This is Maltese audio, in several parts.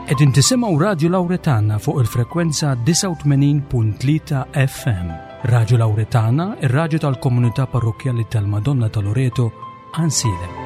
Qegħdin tisimgħu Radju Lawretana fuq il-frekwenza 89.3 FM. Radju Lawretana, ir-radju tal-komunità parrokkjali tal-Madonna ta' Loreto, Għansielem.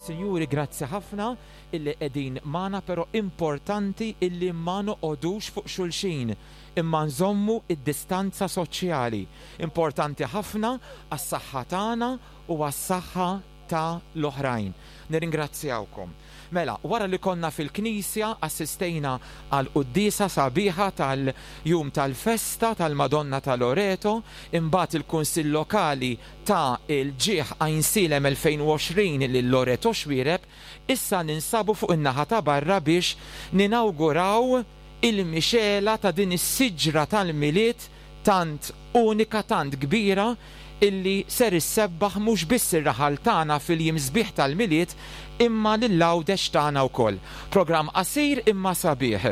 Sinjuri grazzi ħafna illi qegħdin magħna pero importanti illi ma noqogħdux fuq xulxin imma nżommu d-distanza soċjali. Importanti ħafna għas-saħħa tagħna u għas-saħħa ta' l-oħrajn. Nirringrazzjawkom. Mela, wara li konna fil-knisja assistejna għal quddiesa sabiħa tal-jum tal-festa tal-Madonna ta' Loreto, imbagħad il-Kunsill Lokali ta l-ġieħ Għajnsielem 2020 lil Loreto Xuereb, issa ninsabu fuq in-naħa ta' barra biex ninawguraw il-mixegħla ta' din is-siġra tal-Milied tant unika, tant kbira illi ser issebbaħ mhux biss ir-raħal tagħna fil-jiem sbieħ tal-Milied imma lil Għawdex tagħna wkoll. Programm qasir imma sabiħ.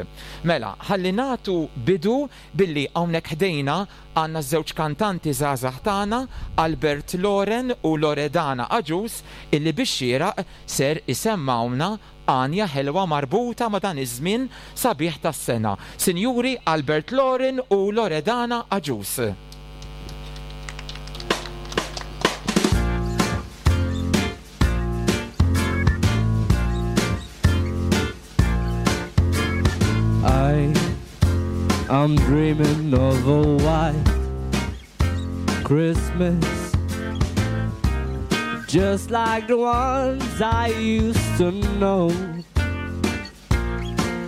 Mela, ħalli nagħtu bidu billi hawnhekk ħdejna għandna ż-żewġ kantanti żgħażagħ tagħna, Albert Loren u Loredana Agius illi bix-xieraq ser isemmgħuna għanja ħelwa marbuta ma' dan iż-żmien sabiħ tas-sena. Sinjuri Albert Loren u Loredana Agius. I am dreaming of a white Christmas Just like the ones I used to know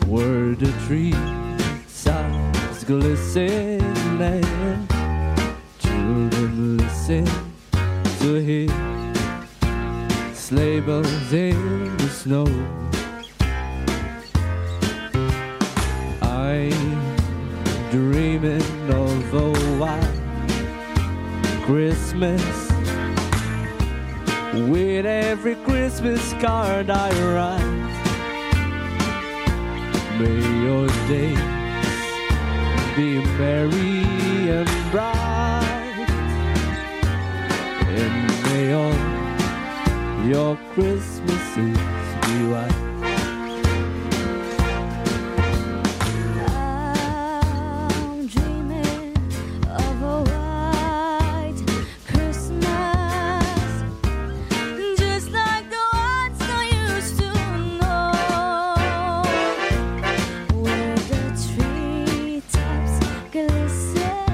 Where the treetops glisten and children listen to hear sleigh bells in the snow. I'm dreaming of a white Christmas with every Christmas card I write. May your days be merry and bright, and may all your Christmases be white. I'm dreaming of a white Christmas, just like the ones I used to know, where the treetops glisten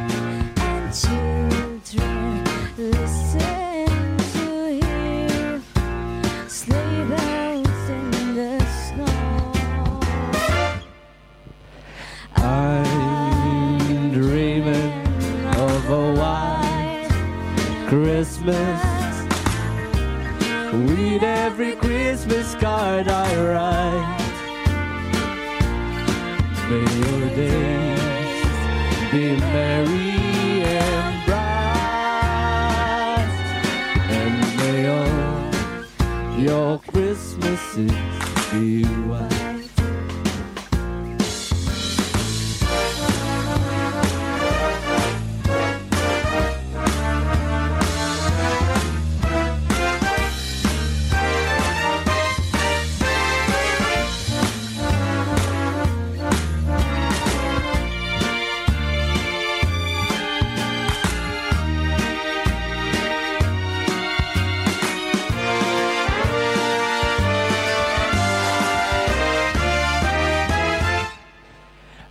and children listen to hear sleigh bells in the snow. I'm dreaming of a white Christmas with every Christmas card I write. May your days be merry and bright, and may all your Christmases be white.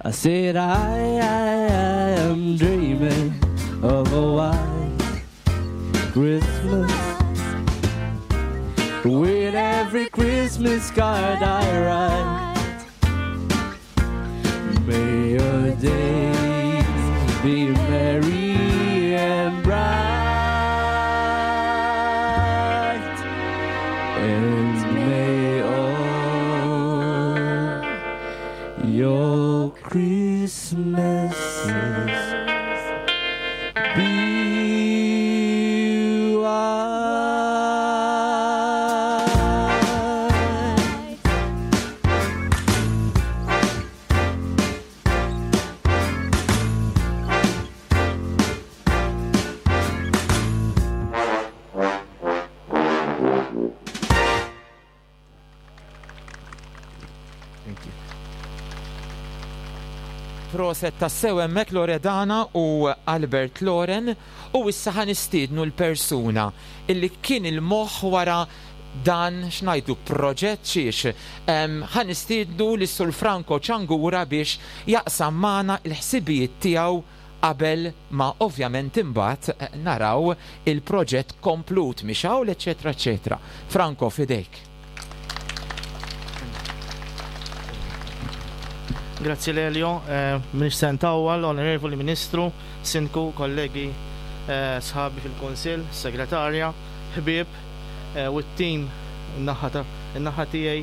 I said I, I, I am dreaming of a white Christmas with every Christmas card I write. May your days be merry and bright, and may all your Christmases be white. Proset tassew hemmhekk Loredana u Albert Loren u issa ħa nistiednu l-persuna illi kien il-moħħ wara dan x'ngħidlu proġett xiex ħa nistiednu lis-Sur Franco Ciangura biex jaqsam magħna l-ħsibijiet tiegħu qabel ma ovvjament imbagħad naraw il-proġett komplut mixgħul eċċetera eċċetera. Franco f'idejk. Grazzi Lelio, m'iniex se ntawwal, Onorevoli Ministru, Sindku, kollegi, sħabi fil-Kunsill, Segretarja, ħbieb u t-tim in-naħa tiegħi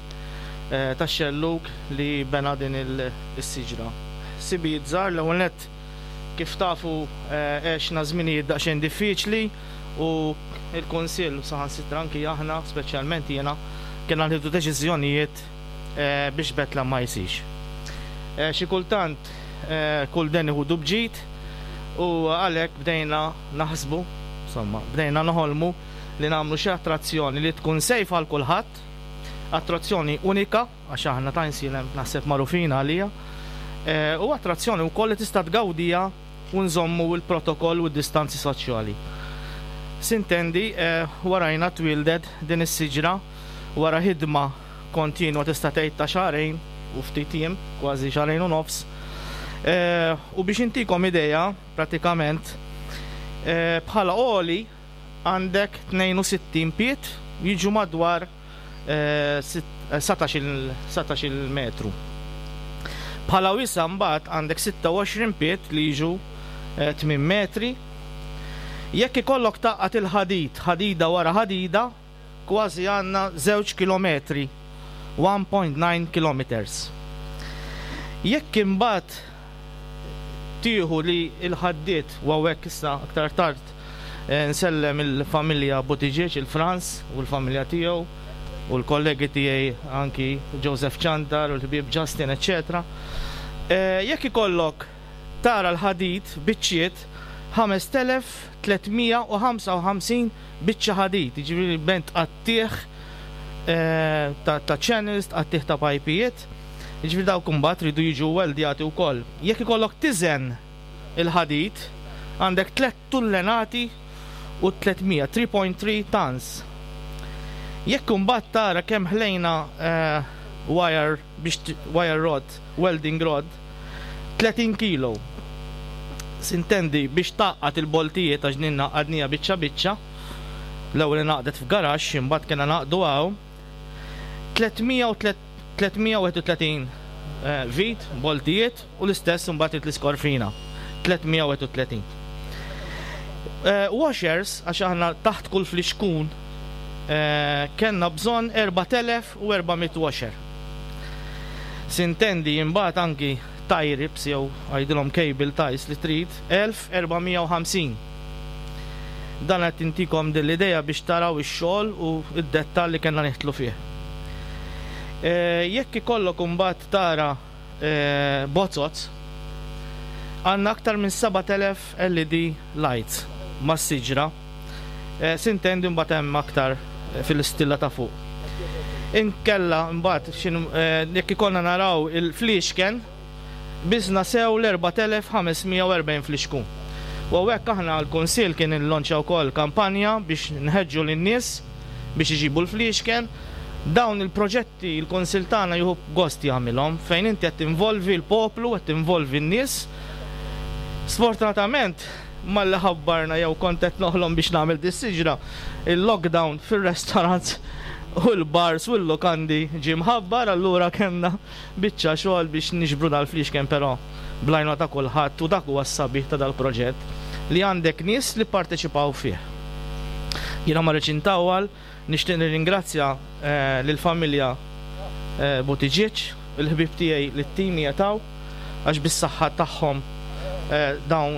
tax-xellug li bena din is-siġra. Ħsibijiet żgħar, l-ewwel nett kif tafu għexna żminijiet daqsxejn diffiċli u l-Kunsill u saħansitra anki aħna, speċjalment jiena, kellna nieħdu deċiżjonijiet biex Betlehem ma jsirx. Xi kultant kull deni ħudu b'ġid u għalhekk bdejna naħsbu, insomma, bdejna noħolmu li nagħmlu xi attrazzjoni li tkun safe għal kulħadd, attrazzjoni unika, għax aħna ta' Insilem naħseb magħrufin għaliha, u attrazzjoni wkoll li tista' tgawdiha u nżommu l-protokoll u d-distanzi soċjali. Sintendi, warajna twieldet din is-siġra wara ħidma kontinwa tista' tgħid ta' xahrejn u ftit jiem, kważi xahrejn u nofs. U biex intikom idea, pratikament, bħala għoli għandek 62 pied jiġu madwar 19-il metru. Bħala wisa' mbagħad għandek 26 pied li jiġu 8 metri. Jekk ikollok tgħaqqad il-ħadid ħadida wara ħadida, kważi għandna żewġ kilometri, 1.9 kilometers. Jekk imbagħad tieħu li l-ħaddied, u hawnhekk issa aktar tard Nsellem il-familja Buttigieg, il-Frans u l-familja tiegħu u l-kollegi tiegħi anki Joseph Ciantar u l-ħbieb Justin eċċetera. Jekk ikollok tara l-ħadid biċċiet 5355 biċċa ħadid, jiġifieri bejn tqattigħ ta' channels, tqattigħ ta' pajpijiet, jiġifieri dawk imbagħad iridu jiġu weldjati wkoll. Jekk ikollok tiżen il-ħadid, għandek tlett tullenati u 300, 3.3 tons. Jekk imbagħad tara kemm ħlejna wire biex wire rod, welding rod, 30 kilo. Sintendi biex tgħaqqad il-boltijiet għax din għaqqadniha biċċa biċċa, l-ewwel ingħaqdet f'garaxx imbagħad kellna ngħaqqdu hawn, 331 vit, boltijiet, u l-istess imbagħad trid l-iskorfina, 331. Washers, għax aħna taħt kull flixkun kellna bżonn 4400 washer. Sintendi imbagħad anki tie rips jew għidilhom cable ties li trid 1450. Dan qed intikom din l-idea biex taraw ix-xogħol u d-dettall li kellna nidħlu fih. Jekk ikollok imbagħad tara bozoz, għandna aktar minn 7,000 LED lights mas-siġra. Sintendi mbagħad hemm aktar fil-istilla ta' fuq. Inkella mbagħad jekk ikollna naraw il-fliexken, biżna sew l-4,540 flixkun. U hawnhekk aħna l-Kunsill kien illonċja wkoll kampanja biex nħeġġu lin-nies biex iġibu l-fliexken. Dawn il-proġetti l-Kunsill tagħna jieħu gost jagħmilhom fejn inti qed tinvolvi l-poplu, qed tinvolvi n-nies. Sfortunatament malli ħabbarna jew kont qed noħlom biex nagħmel dis-siġra, il-lockdown fir-restaurants u l-bars u l-lukandi ġie mħabbar allura kellna biċċa xogħol biex niġbru dal-fliexken però bl-għajnuna ta' kulħadd u dak huwa s-sabiħ ta' dal-proġett li għandek nies li pparteċipaw fih. Jiena ma rridx intawwal, nixtieq nirringrazzja lill-familja Buttigieg, il-ħbieb tiegħi li t-tim qiegħed hawn għax bis-saħħa tagħhom dawn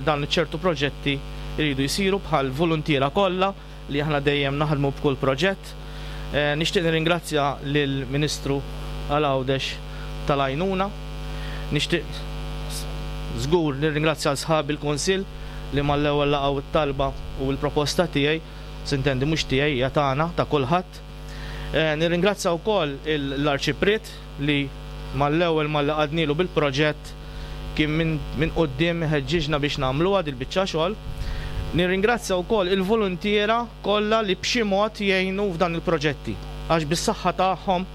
dan ċertu proġetti jridu jsiru bħal voluntiera kollha li aħna dejjem naħdmu b'kull proġett. Nixtieq nirringrazzja lill-Ministru għal Għawdex tal-għajnuna. Nixtieq żgur nirringrazzja 'l sħabi l-Kunsill li mal-ewwel laqgħu t-talba u l-proposta tiegħi, sintendi mhux tiegħi hija tagħna, ta' kulħadd. Nirringrazzja wkoll l-Arċipriet li mal-ewwel malli qgħadnilu bil-proġett. kien minn minn quddiem iħeġġiġna biex nagħmluha dil-biċċa xogħol. Nirringrazzja wkoll il-voluntiera kollha li b'xi mod jgħinu f'dan il-proġetti għax bis-saħħa tagħhom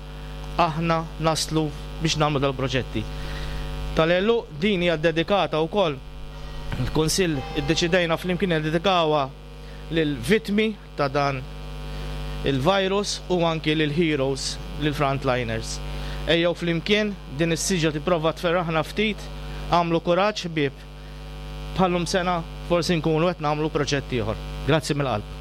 aħna naslu biex nagħmlu dal-proġetti. Tal-għeluq din hija ddedikata wkoll, il-Kunsill iddeċidejna flimkien niddedikawha lill-vittmi ta' dan il-virus u anki lill-heroes, lill-frontliners. Ejjew flimkien, din is-siġra tipprova tferraħna ftit, agħmlu kuraġġ ħbieb, bħal-lum sena forsi nkunu qed nagħmlu proġett ieħor. Grazzi mill-qalb.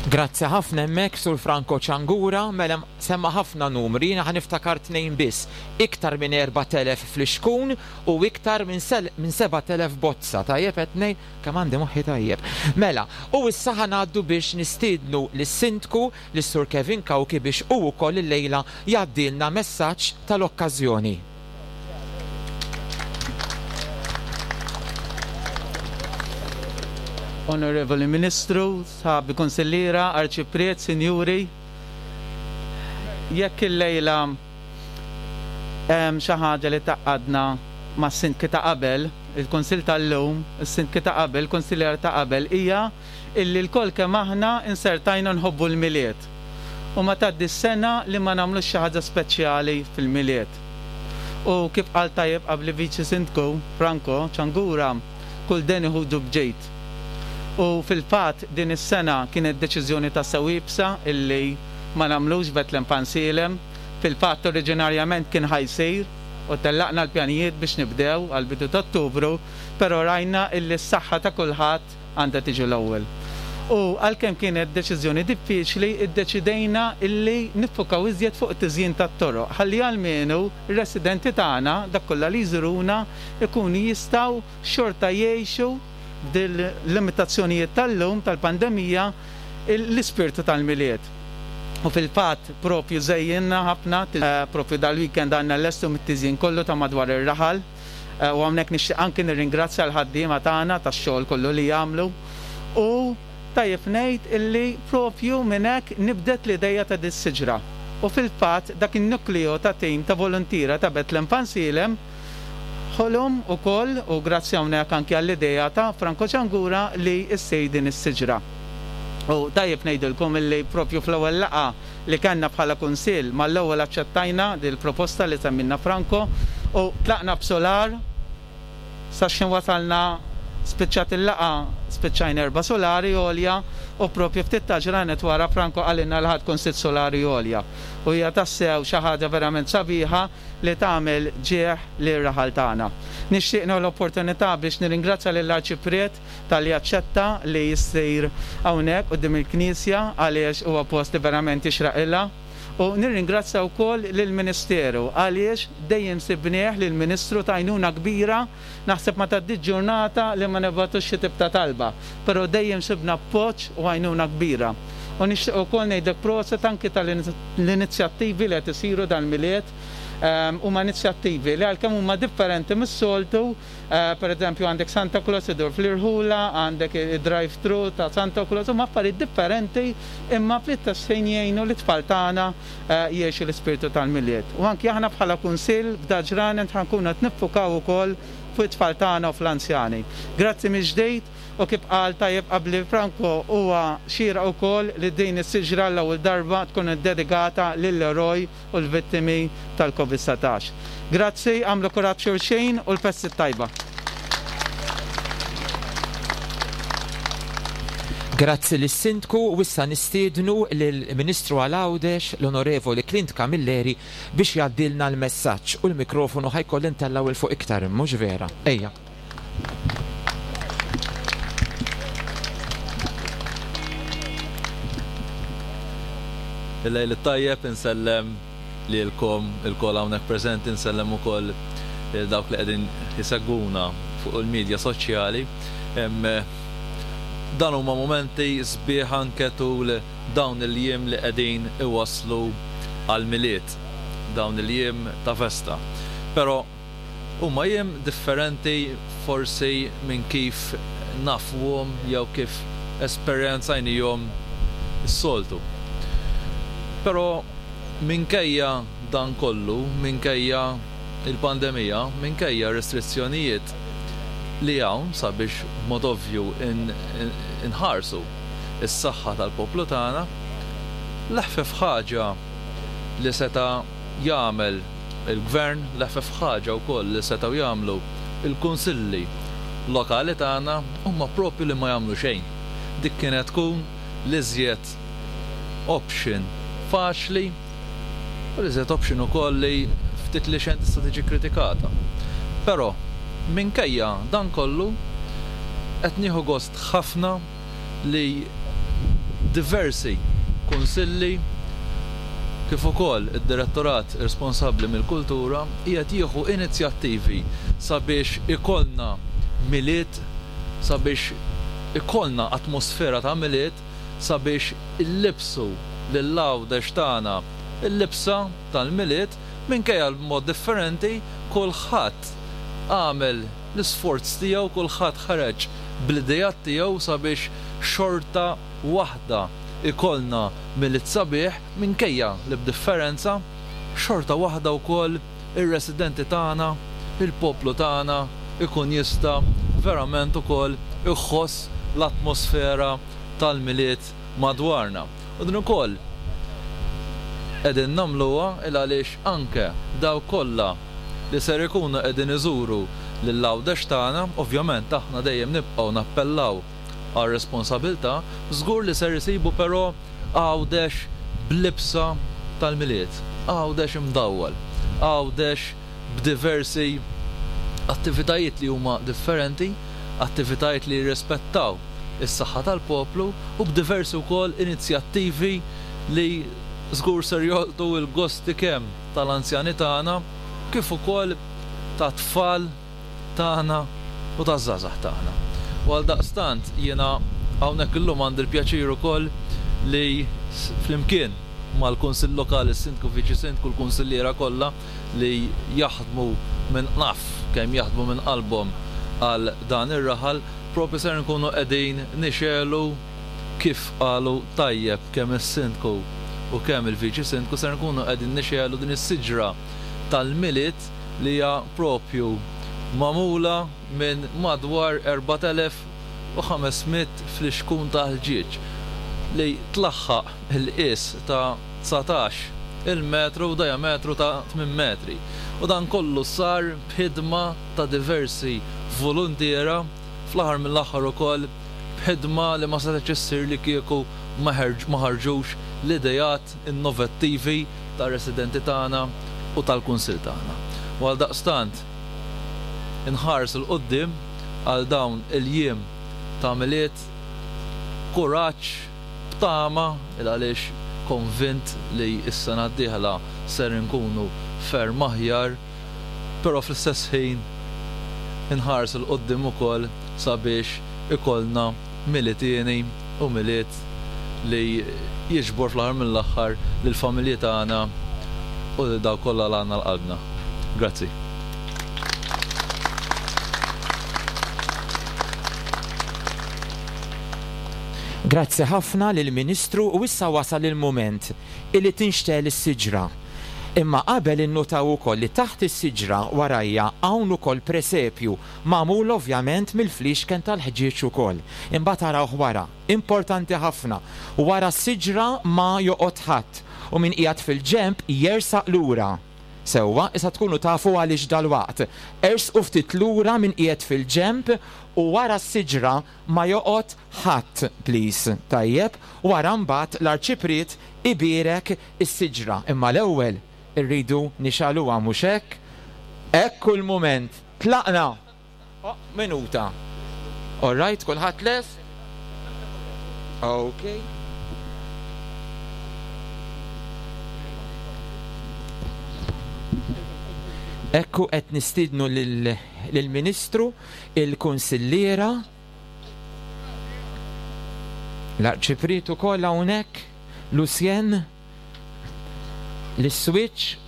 Grazzi ħafna hemmhekk Sur Franco Ciangura, mela semma ħafna numri, jiena ħa niftakar tnejn biss, iktar minn 4,000 flixkun u iktar minn 7,000 bozza, tajjeb qed ngħid? Kemm għandi moħħi tajjeb. Mela, u issa ħa ngħaddu biex nistiednu lis-Sindku, lis-Sur Kevin Cauchi biex hu wkoll illejla jgħaddilna messaġġ tal-okkażjoni. Onorevoli Ministru, sħabi Kunsilliera, Arċipriet, Sinjuri, jekk illejla hemm xi ħaġa li tgħaqqadna mas-Sindki ta' qabel, il-Kunsill tal-lum, is-Sindki ta' qabel, il-Kunsilliera ta' qabel hija illi lkoll kemm aħna insertajna nħobbu l-Milied u ma tgħaddix sena li ma nagħmlux xi ħaġa speċjali fil-Milied. U kif qal tajjeb qabli Viċi Sindku Franco Ciangura, kull deni ħudu b'ġid. U fil-fatt din is-sena kienet deċiżjoni tassew iebsa illi ma nagħmlux Betlem Pansielem. Fil-fatt oriġinarjament kien ħa jsir u tellaqna l-pjanijiet biex nibdew għall-bidu t'Ottubru, però rajna illi s-saħħa ta' kulħadd għandha tiġi l-ewwel. U għalkemm kienet deċiżjoni diffiċli, iddeċidejna illi niffukaw iżjed fuq it-tiżjin tat-toroq ħalli almenu r-residenti tagħna, dak kollha li jżuruna, ikunu jistgħu xorta jgħixu b'dil-limitazzjonijiet tal-lum tal-pandemija l-ispirtu tal-Milied. U fil-fatt propju żejjinna ħafna, propju dal-weekend għandna llestu mit-tiżjin kollu ta' madwar ir-raħal. U hawnhekk nixtieq anki nirringrazzja l-ħaddiema tagħna tax-xogħol kollu li jagħmlu. U tajjeb ngħid illi propju minn hekk nibdet l-ideja ta' dis-siġra. U fil-fatt dak in-nukleo ta' tim ta' voluntiera ta' Bethlehem Fansilem ħolom ukoll, u grazzi hawnhekk anki għall-idea ta' Franco Ciangura li ssir din is-siġra. U tajjeb ngħidilkom illi propju fl-ewwel laqgħa li kellna bħala Kunsill mal-ewwel aċċettajna din il-proposta li semmilna Franco u tlaqna b'sular sa x'ħin wasalna spiċċat il-laqgħa spiċċajna erba' sulari għolja u proprju ftit ta' ġranet wara Franco qalilna li ħa tkun sitt sulari għolja u hija tassew xi ħaġa verament sabiħa li tagħmel ġieħ lir-raħal tagħna. Nixtieq nieħu l-opportunità biex nirringrazzja lill-Arċipriet talli aċċetta li jsir hawnhekk quddiem il-Knisja għaliex huwa post li verament jixraqilha u nirringrazzja wkoll lill-Ministeru għaliex dejjem sibnieh lill-Ministru t'għajnuna kbira, naħseb ma tgħaddix ġurnata li ma nibgħatux xi tip ta' talba, però dejjem sibna appoġġ u għajnuna kbira. U nixtieq ukoll ngħidlek proset anki tal-inizjattivi li qed isiru dal-Milied, huma inizjattivi li għalkemm huma differenti mis-soltu, Per eżempju għandek Santa Claus idur fl-irħula, għandek id-drive through ta' Santa Claus, huma affarijiet differenti imma fl-istess ħin jgħinu lit-tfal tagħna jgħixu l-ispirtu tal-Milied. U anki aħna bħala Kunsill f'da ġranet ħa nkunu qed niffukaw ukoll fuq it-tfal tagħna u fl-anzjani. Grazzi mill-ġdid u kif qal tajjeb qabli Franco huwa xieraq ukoll li din is-siġra l-ewwel darba tkun iddedikata lill-eroj u l-vittimi tal-Covid 19. Grazzi, agħmlu kuraġġ xulxin u l-festi t-tajba. Grazzi lis-Sindku u issa nistiednu lill-Ministru għal Għawdex, l-Onorevoli Clint Camilleri biex jgħaddilna l-messaġġ u l-mikrofonu ħa jkolli ntellgħu 'l fuq iktar, mhux vera? Ejja. Il-lejl it-tajjeb, insellem lilkom ilkoll hawnhekk preżenti, insellem ukoll lil dawk li qegħdin isegwuna fuq il-midja soċjali. Dan huma mumenti sbieħ anke tul dawn il-jiem li qegħdin iwasslu għall-Milied, dawn il-jiem ta' festa. Però Huma jiem differenti forsi minn kif nafuhom jew kif esperjenzajnihom is-soltu. Però Minkejja dan kollu, minkejja l-pandemija, minkejja r-restrizzjonijiet li hawn sabiex b'mod ovvju nħarsu s-saħħa tal-poplu tagħna, l-eħfef ħaġa li seta' jagħmel il-Gvern, l-eħfef ħaġa wkoll li setgħu jagħmlu l-Kunsilli Lokali tagħna huma proprju li ma jagħmlu xejn. Dik kienet tkun l-iżjed option faċli u l-iżjed option ukoll li ftit li xejn tista' tiġi kkritikata. Però minkejja dan kollu qed nieħu gost ħafna li diversi kunsilli kif ukoll id-direttorat responsabbli mill-kultura qiegħed jieħu inizjattivi sabiex ikollna Milied, sabiex ikollna atmosfera ta' Milied, sabiex illibbsu lil Għawdex tagħna l-libsa tal-Milied, minkejja l-mod differenti kulħadd għamel l-isforz tiegħu, kulħadd ħareġ bl-ideat tiegħu sabiex xorta waħda jkollna Milied sabiħ minkejja li b'differenza, xorta waħda wkoll ir-residenti tagħna, il-poplu tagħna jkun jista' verament ukoll iħoss l-atmosfera tal-Milied madwarna. U din ukoll qegħdin nagħmluha il għaliex anke dawk kollha li ser ikunu qegħdin iżuru lil Għawdex tagħna, ovvjament aħna dejjem nibqgħu nappellaw għar-responsabilità, żgur li ser isibu però Għawdex b'libsa tal-Milied, Għawdex imdawwal, Għawdex b'diversi attivitajiet li huma differenti, attivitajiet li jirrispettaw is-saħħa tal-poplu u b'diversi wkoll inizjattivi li żgur ser jolqtu l-gosti kemm tal-anzjani tagħna kif ukoll tat-tfal tagħna u taż-żgħażagħ tagħna. U għaldaqstant jiena hawnhekk illum għandi l-pjaċir ukoll li flimkien mal-Kunsill Lokali, s-Sindku, Viċi Sindku, l-Kunsilliera kollha li jaħdmu minn naf kemm jaħdmu minn qalbhom għal dan ir-raħal, proprju ser nkunu qegħdin nixegħlu kif qalu tajjeb kemm is-Sindku u kemm il-Viċi Sindku ser nkunu qegħdin nixegħlu din is-siġra tal-Milied li hija proprju magħmula minn madwar 4,500 flixkun ta' ħġieġ li tlaħħaq il-qies ta' 19 il metru u diametru ta' tmien metri. U dan kollu sar b'ħidma ta' diversi voluntiera, fl-aħħar mill-aħħar ukoll b'ħidma li ma setgħetx issir li kieku ma ħarġux l-ideat innovattivi tar-residenti tagħna u tal-Kunsill tagħna. U għaldaqstant inħares 'il quddiem għal dawn il-jiem ta' Milied b'kuraġġ, b'tama, il għaliex konvint li s-sena d-dieħla ser inkunu ferm aħjar, però fl-istess ħin inħares 'il quddiem ukoll sabiex ikollna Milied hieni u Milied li jiġbor fl-aħħar mill-aħħar lill-familji tagħna u lil dawk kollha li għandna għal qalbna. Grazzi. Grazzi ħafna lill-Ministru u issa wasal il-mument illi tinxtegħel is-siġra. Imma qabel innutaw ukoll li taħt is-siġra warajja hawn ukoll presepju magħmul ovvjament mill-fliexken tal-ħġieġ ukoll. Imbagħad arawh wara. Importanti ħafna. Wara s-siġra ma joqgħod ħadd u min qiegħed fil-ġenb jersaq lura. Sewwa, issa tkunu tafu għaliex dalwaqt. Ersqu ftit lura min qiegħed fil-ġenb u wara s-siġra ma joqgħod ħadd please. Tajjeb, wara mbagħad l-Arċipriet ibierek is-siġra. Imma l-ewwel irridu nixgħaluha mhux hekk? Hekk hu l-mument. Tlaqna! Oh, minuta. All right, kulħadd lest? Okay. Ekku qed nistiednu lill-Ministru, il-Kunsilliera, l-Arċipriet ukoll hawnhekk, Lucien. L-iswiċċ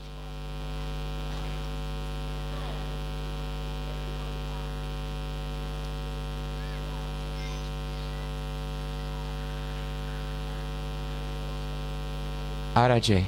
Ara ġej.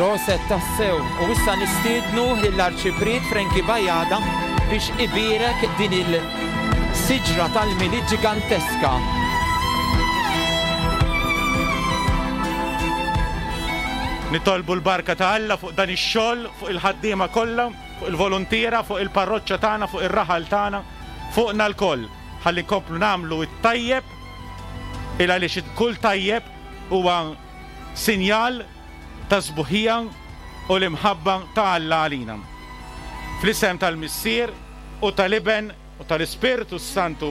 Proset tassew! U issa nistiednu lill-Arċipriet Frankie Bajada biex ibierek din il-siġra tal-Milied ġiganteska. Nitolbu l-barka ta' Alla fuq dan ix-xogħol, fuq il-ħaddiema kollha, fuq il-voluntiera, fuq il-parroċċa tagħna, fuq ir-raħal tagħna, fuqna lkoll, ħalli nkomplu nagħmlu t-tajjeb il għaliex kull tajjeb huwa sinjal tas-sbuħija u l-imħabba ta' Alla għalina. Fl-isem tal-Missier u tal-Iben u tal-Ispirtu s-Santu.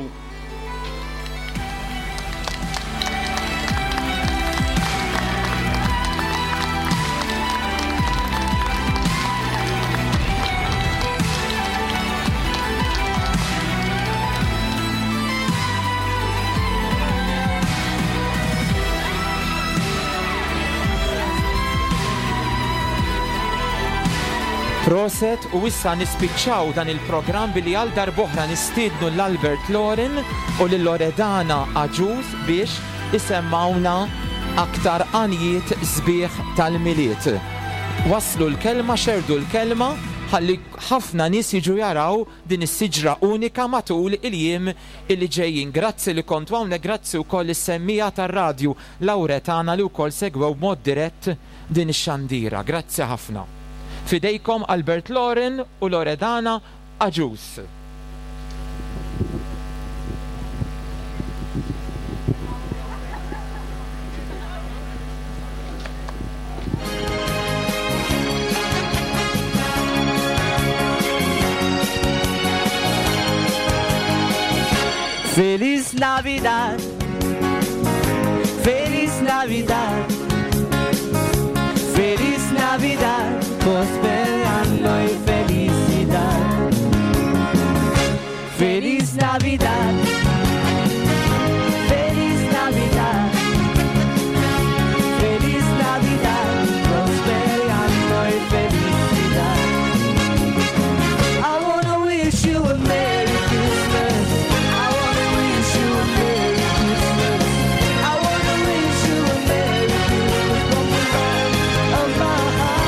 Proset u issa nispiċċaw dan il-programm billi għal darb'oħra nistiednu 'l Albert Loren u lil Loredana Agius biex isemmgħuna aktar għanjiet sbieħ tal-Milied. Wasslu l-kelma, xerrdu l-kelma ħalli ħafna nies jiġu jaraw din is-siġra unika matul il-jiem illi ġejjin. Grazzi li kontu hawnhekk, grazzi wkoll lis-semmiegħa tar-radju Lawretana li wkoll segwew b'mod dirett din ix-xandira. Grazzi ħafna. F'idejkom Albert Loren u Loredana Agius. Feliz Navidad, Feliz Navidad, Feliz Navidad, próspero año y felicidad. Feliz Navidad, Feliz Navidad, Feliz Navidad, próspero año y felicidad. I wanna wish you a Merry Christmas. I wanna wish you a Merry Christmas. I wanna wish you a Merry Christmas from the bottom of my heart.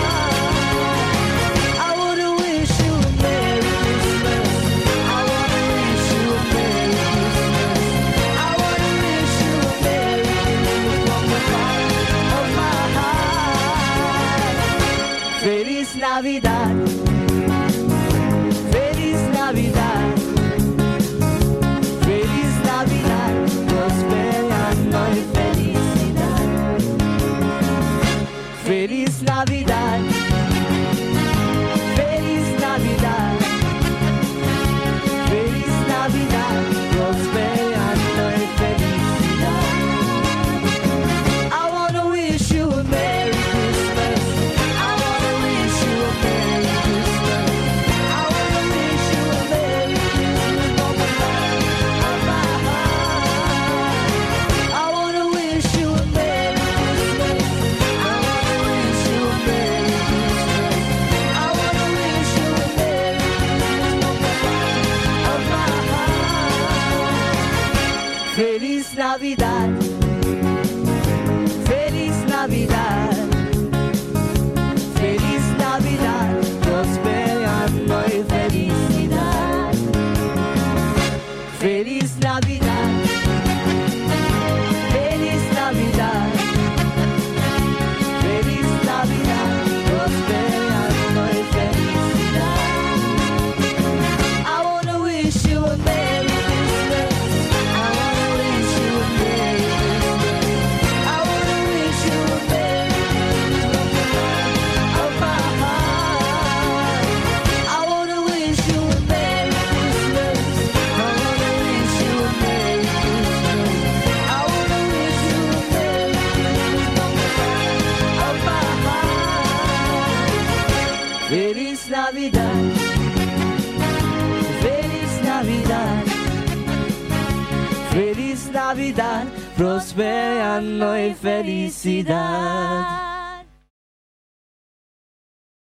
I wanna wish you a Merry Christmas. I wanna wish you a Merry Christmas. I wanna wish you a Merry Christmas from the bottom of my heart. Feliz Navidad. Feliz Navidad. Feliz Navidad, próspero año y felicidad. Feliz Navidad. Feliz Navidad. Feliz Navidad, próspero año y felicidad. I wanna wish you a Merry Christmas. I wanna wish you a Merry Christmas. I wanna wish you a Merry Christmas from the bottom of my heart. I wanna wish you a Merry Christmas. I wanna wish you a Merry Christmas. I wanna wish you a Merry Christmas from the bottom of my heart. Feliz Navidad. Feliz Navidad. Feliz Navidad, próspero año y felicidad. Feliz Navidad. Feliz Navidad. Feliz Navidad, próspero año y felicidad. I wanna wish you a Merry Christmas. I wanna wish you a Merry Christmas. I wanna wish you a Merry Christmas from the bottom of my heart. I wanna wish you a Merry Christmas. I wanna wish you a Merry Christmas. I wanna wish you a Merry Christmas from the bottom of my heart. Feliz Navidad. Feliz Navidad. Feliz Navidad, próspero año y felicidad.